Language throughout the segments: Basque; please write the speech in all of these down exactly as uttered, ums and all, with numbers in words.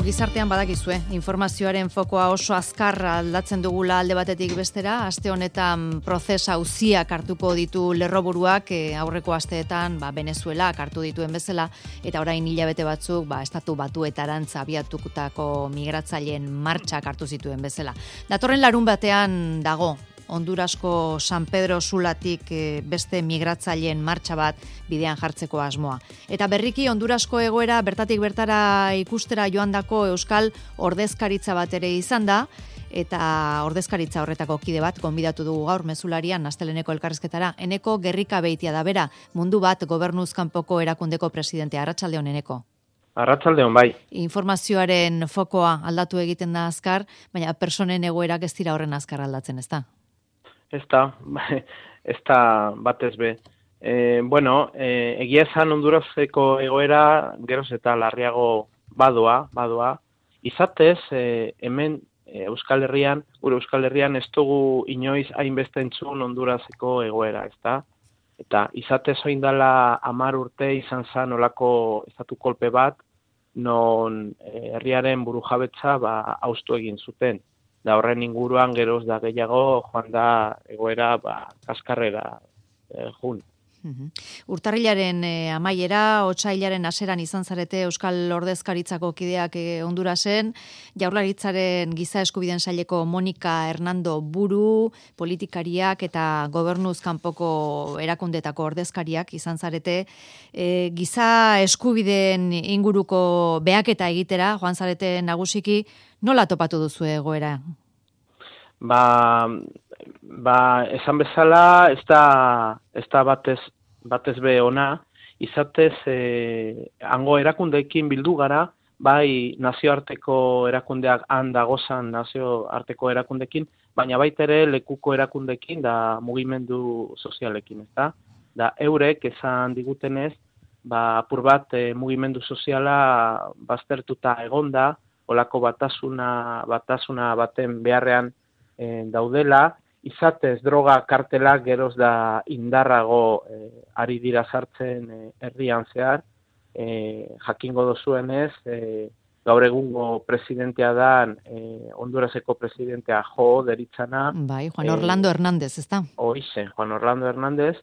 gizartean badakizue, informazioaren fokoa oso azkar aldatzen dugula alde batetik bestera, aste honetan prozesa auziak hartuko ditu lerroburuak, e, aurreko asteetan ba, Venezuela hartu dituen bezala, eta orain hilabete batzuk ba, estatu batuetarantz abiatukutako migratzaileen martxak hartu zituen bezala. Datorren larun batean dago, Hondurasko San Pedro Sulatik beste migratzaileen martxa bat bidean jartzeko asmoa. Eta berriki Hondurasko egoera bertatik bertara ikustera joandako euskal ordezkaritza bat ere izan da, eta ordezkaritza horretako kide bat gonbidatu dugu gaur mezularian Asteleneko elkarrizketara. Eneko Gerrika Beitia da bera, Mundu Bat Gobernuz kanpoko erakundeko presidentea. Arratsaldeon, Eneko. Arratsaldeon, bai. Informazioaren fokoa aldatu egiten da azkar, baina personen egoerak ez dira horren azkar aldatzen, ezta? Ez da, ez da batez be. E, bueno, e, egia esan Honduraseko egoera geroz eta larriago badoa, badoa. Izatez, e, hemen e, Euskal Herrian, gure Euskal Herrian ez dugu inoiz hainbeste entzun Honduraseko egoera, ez da? Eta izatez oin dela hamar urte izan zen olako estatu kolpe bat, non e, herriaren burujabetza ba, haustu egin zuten. Da horren inguruan geroz da gehiago joan da egoera ba, kaskarrera eh, jun. Uhum. Urtarrilaren eh, amaiera, otsailaren haseran izan zarete Euskal Ordezkaritzako kideak eh, Hondurasen, Jaurlaritzaren giza eskubideen saileko Monika Hernando buru, politikariak eta gobernuz kanpoko erakundetako ordezkariak izan zarete, eh, giza eskubideen inguruko behaketa egitera, joan zarete nagusiki, nola topatu duzu egoera? Ba, ba esan bezala, ez da, ez da batez, batez be ona, izatez, eh, hango erakundeekin bildu gara, bai nazioarteko erakundeak han dagozan nazioarteko erakundeekin, baina baita ere lekuko erakundeekin da mugimendu sozialekin, ez da? Da eurek esan digutenez, ba, apur bat eh, mugimendu soziala baztertuta egonda, olako batasuna, batasuna baten beharrean e, daudela, izatez droga kartelak geroz da indarrago e, ari dira sartzen e, herrian zehar, e, jakingo dozuenez, e, gaur egungo presidentea dan, e, Honduraseko presidentea jo deritzana. Bai, Juan Orlando e, Hernández, ez da? Hoize, Juan Orlando Hernández,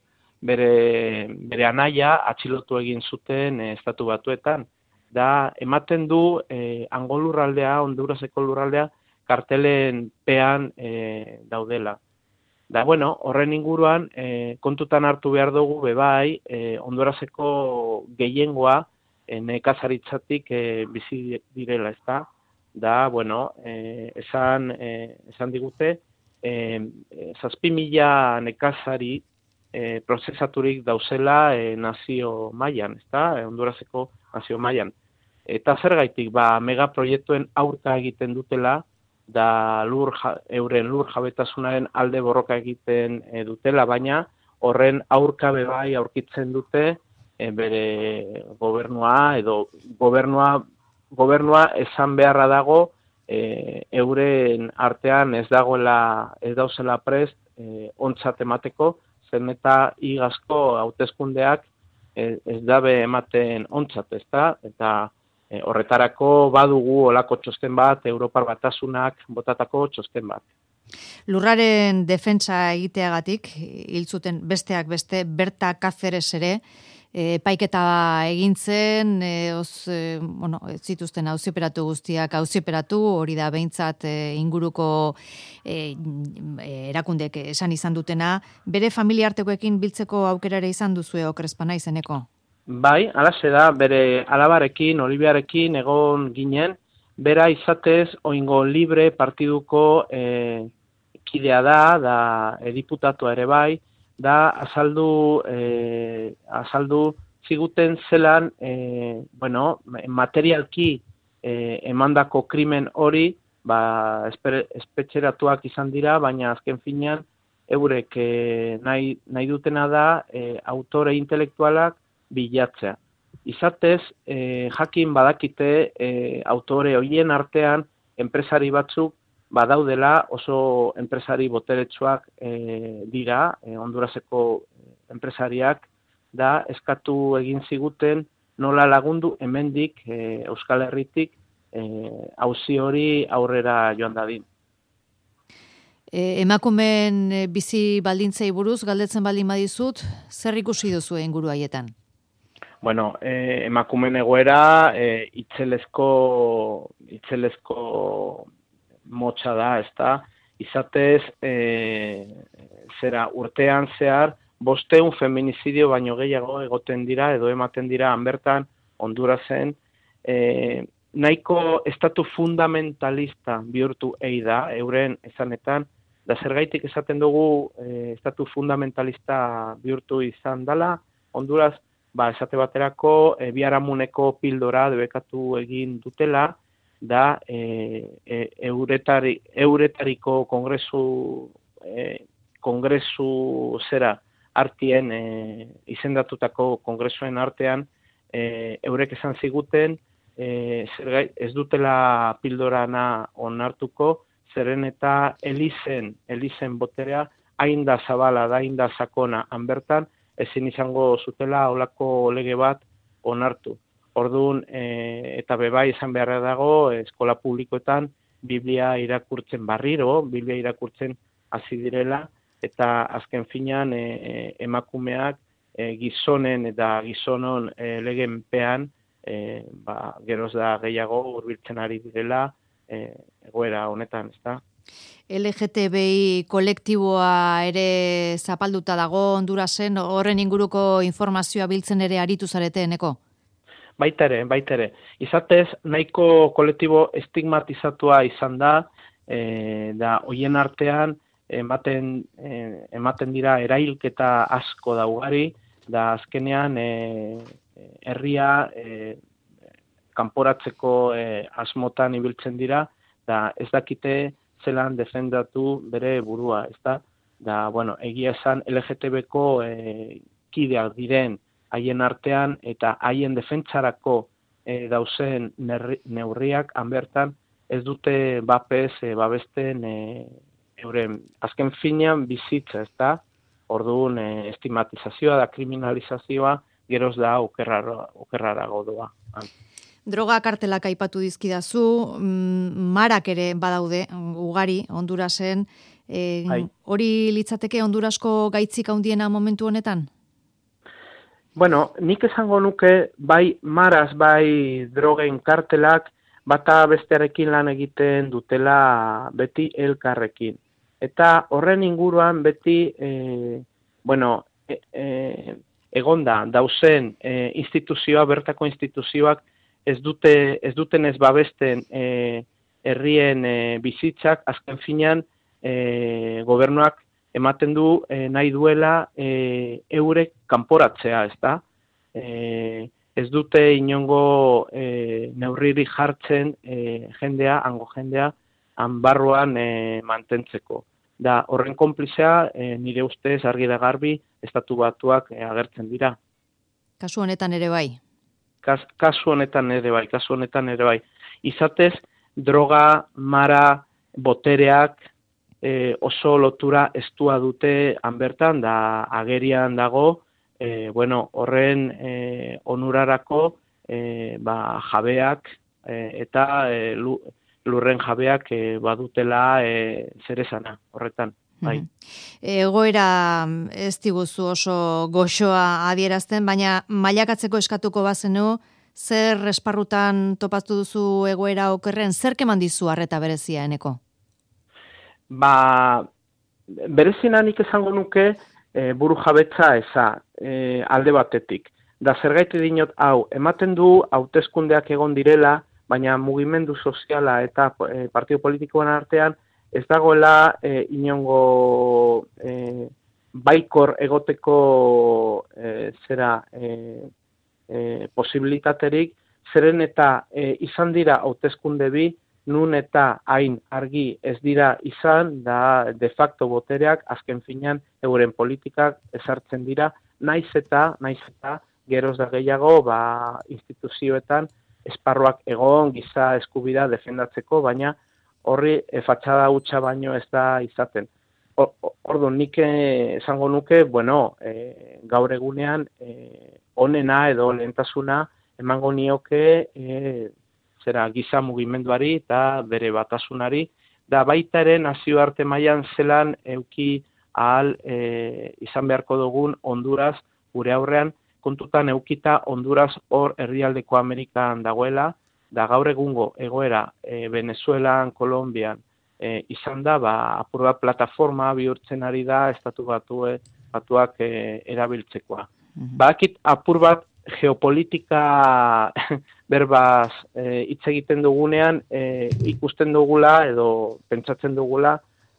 bere, bere anaia atxilotu egin zuten e, estatu batuetan. Da, ematen du eh, hango lurraldea, Honduraseko lurraldea, kartelen pean eh, daudela. Da, bueno, horren inguruan, eh, kontutan hartu behar dugu, bebai, eh, Honduraseko gehiengoa eh, nekazaritzatik eh, bizi direla, ezta? Da, bueno, eh, esan, eh, esan digute, eh, zazpi mila nekazari eh, prozesaturik dauzela eh, nazio mailan, ezta? Eh, Honduraseko nazio mailan. Eta zergaitik, ba, megaproiektuen aurka egiten dutela, da lur, euren lur jabetasunaren alde borroka egiten e, dutela, baina horren aurka bebai aurkitzen dute e, bere gobernua, edo gobernua, gobernua esan beharra dago, e, euren artean ez dagoela, ez dauzela prest, e, ontzat emateko, zen eta igazko hauteskundeak e, ez dabe ematen ontzat, ezta? Eta E, horretarako badugu olako txosten bat, Europar Batasunak botatako txosten bat. Lurraren defentsa egiteagatik, hil zuten besteak beste, Berta Cáceres ere, e, paiketa egin zen, e, oz, e, bueno, zituzten auziperatu guztiak auziperatu, hori da behintzat e, inguruko e, erakundek esan izan dutena, bere familiartekoekin biltzeko aukerare izan duzue okrezpana izeneko? Bai, alaxe da, bere alabarekin, Olibiarekin egon ginen, bera izatez oingo libre partiduko e, kidea da, da e, diputatua ere bai, da azaldu, e, azaldu ziguten zelan, e, bueno, materialki e, emandako krimen hori, ba, esper, espetxeratuak izan dira, baina azken finean, eurek e, nahi, nahi dutena da, e, autore intelektualak bilatzea. Izatez, eh, jakin badakite eh, autore horien artean enpresari batzuk badaudela oso enpresari boteretsuak eh, dira, eh, Honduraseko enpresariak, da eskatu egin ziguten nola lagundu hemendik e, Euskal Herritik auzi hori aurrera joan dadin. E, emakumeen e, bizi baldintzei buruz galdetzen baldin badizut, zer ikusi duzu inguru haietan? Bueno, eh, emakumeen egoera eh, itzelezko, itzelezko motxa da, ezta? Izatez, eh, zera urtean zehar, bosteun feminizidio baino gehiago egoten dira, edo ematen dira hanbertan, Hondurasen, eh, nahiko estatu fundamentalista bihurtu ei da, euren esanetan, da zergaitik esaten dugu eh, estatu fundamentalista bihurtu izan dela, Honduras, ba, esate baterako, e, biharamuneko pildora debekatu egin dutela, da e, e, euretari, euretariko kongresu, e, kongresu zera artien, e, izendatutako kongresuen artean, e, eurek esan ziguten, e, zergai, ez dutela pildorana onartuko, zeren eta elizen, elizen boterea, hain da zabala, da hain da sakona hanbertan, ezin izango zutela olako lege bat onartu. Orduan, e, eta bebai izan beharra dago, eskola publikoetan Biblia irakurtzen barriro, Biblia irakurtzen hasi direla, eta azken finean e, emakumeak e, gizonen eta gizonon e, legenpean, e, ba, geroz da gehiago hurbiltzen ari direla e, egoera honetan, ezta? L G T B I kolektiboa ere zapalduta dago Hondurasen, horren inguruko informazioa biltzen ere aritu zarete, Eneko? Baita ere, baita ere. Izatez, nahiko kolektibo estigmatizatua izan da, e, da hoien artean ematen, e, ematen dira erailketa asko da ugari, da azkenean e, herria e, kanporatzeko e, asmotan ibiltzen dira, da ez dakite zelan defendatu bere burua, ezta? Da, bueno, egia esan L G T B-ko e, kideak diren haien artean eta haien defentsarako e, dauzen neurriak hanbertan ez dute bapez e, babesten e, euren azken finean bizitza, ezta? Orduan e, estigmatizazioa da kriminalizazioa geroz da okerrara, okerrarago doa. Droga kartelak aipatu dizkidazu, marak ere badaude, ugari, Hondurasen. E, hori litzateke Hondurasko gaitzik handiena momentu honetan? Bueno, nik esango nuke, bai maraz, bai drogen kartelak, bata bestearekin lan egiten dutela beti elkarrekin. Eta horren inguruan beti, e, bueno, e, e, egonda, dauzen e, instituzioa, bertako instituzioak, ez dute ez duten ez babesten e, herrien e, bizitzak, azken finean e, gobernuak ematen du e, nahi duela e, eurek kanporatzea, ezta? E, ez dute inongo e, neurriri jartzen e, jendea, hango jendea, hanbarruan e, mantentzeko. Da, horren konplizea, e, nire ustez argi da garbi, estatu batuak e, agertzen dira. Kasu honetan ere bai? Kas, kasu honetan ere bai, kasu honetan ere bai. Izatez, droga, mara, botereak e, oso lotura estua dute hanbertan, da agerian dago, e, bueno, horren e, onurarako e, ba, jabeak e, eta e, lurren jabeak e, badutela e, zeresana horretan. Bai. Egoera ez diguzu oso goxoa adierazten, baina mailakatzeko eskatuko bazenu, zer esparrutan topatu duzu egoera okerren, zer keman dizu arreta berezia, Eneko? Ba, berezina nik esango nuke e, buru jabetza eza e, alde batetik. Da zergaiti dinot hau, ematen du hauteskundeak egon direla, baina mugimendu soziala eta e, partido politikoen artean ez dagoela e, inongo e, baikor egoteko e, zera e, e, posibilitaterik, zeren eta e, izan dira hauteskunde bi, nun eta hain argi ez dira izan, da de facto botereak azken finean euren politikak ezartzen dira, naiz eta, naiz eta geroz da gehiago ba, instituzioetan esparruak egon giza eskubidea defendatzeko, baina horri e, fatxada hutsa baino ez da izaten. Orduan, nik esango nuke, bueno, e, gaur egunean e, onena edo lehentasuna emango nioke e, zera giza mugimenduari eta bere batasunari, da baita ere nazioarte mailan zelan euki ahal e, izan beharko dugun Honduras gure aurrean, kontutan eukita Honduras hor herrialdeko Amerikan dagoela, da gaur egungo egoera e, Venezuelan, Kolonbian e, izan da, ba, apur bat plataforma bihurtzen ari da estatu batue, batuak e, erabiltzekoa. Mm-hmm. Bakit apur bat geopolitika berbaz hitz e, egiten dugunean e, ikusten dugula edo pentsatzen dugula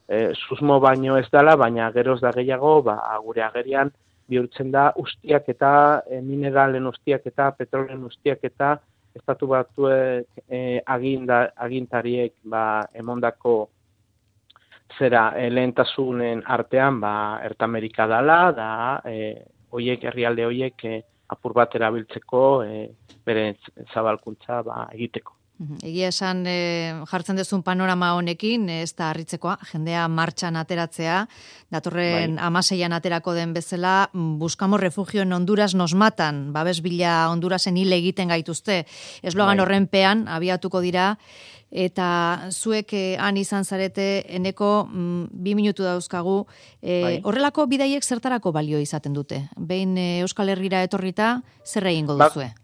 e, susmo baino ez dela, baina geroz da gehiago, ba, gure agerian bihurtzen da ustiak eta e, mineralen ustiak eta petrolen ustiak eta estatu batuek e, aginda, agintariek ba, emondako zera e, lehentasunen artean ba, Ertamerika dala, da e, oiek, herrialde oiek e, apur bat erabiltzeko e, bere zabalkuntza ba, egiteko. Egia esan e, jartzen duzun panorama honekin, ez da harritzekoa, jendea martxan ateratzea, datorren bai. Amaseian aterako den bezala, buscamos refugio en Honduras nos matan, babes bila Hondurasen hil egiten gaituzte, eslogan bai. Horrenpean abiatuko dira, eta zuek eh, han izan zarete eneko mm, bi minutu dauzkagu, eh, bai. Horrelako bidaiek zertarako balio izaten dute? Behin eh, Euskal Herrira etorrita, zer egingo duzue? Ba.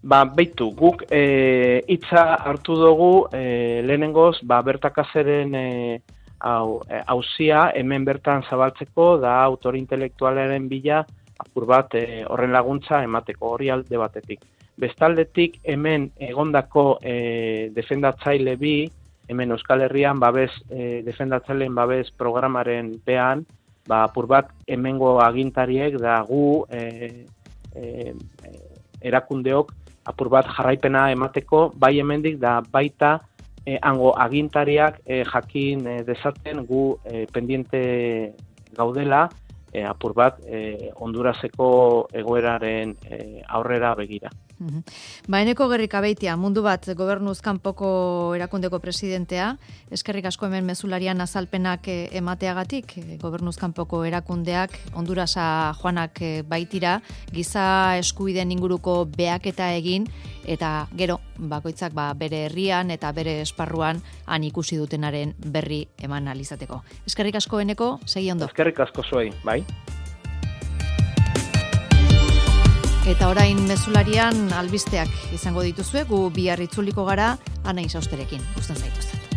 Ba, beitu, guk e, hitza hartu dugu e, lehenengoz, ba, bertakazeren e, hau, e, hauzia hemen bertan zabaltzeko, da autor intelektualaren bila apur bat e, horren laguntza emateko hori alde batetik. Bestaldetik hemen egondako e, defendatzaile bi, hemen Euskal Herrian babes, e, defendatzaileen babes programaren pean, ba, apur bat hemengo agintariek da gu e, e, erakundeok apur bat jarraipena emateko, bai hemendik da baita eh, hango agintariak eh, jakin eh, dezaten gu eh, pendiente gaudela eh, apur bat eh, Honduraseko egoeraren eh, aurrera begira. Ba, eneko Gerrika Beitia, mundu bat gobernuz kanpoko erakundeko presidentea, eskerrik asko hemen mezularian azalpenak emateagatik, gobernuz kanpoko erakundeak Hondurasa joanak baitira, giza eskubideen inguruko behaketa egin, eta gero, bakoitzak ba, bere herrian eta bere esparruan han ikusi dutenaren berri eman alizateko. Eskerrik asko eneko, segi ondo. Eskerrik asko zuei, bai. Eta orain mezularian albisteak izango dituzue, gu bihar itzuliko gara, Ana Isausterekin. Gusten zaituzte.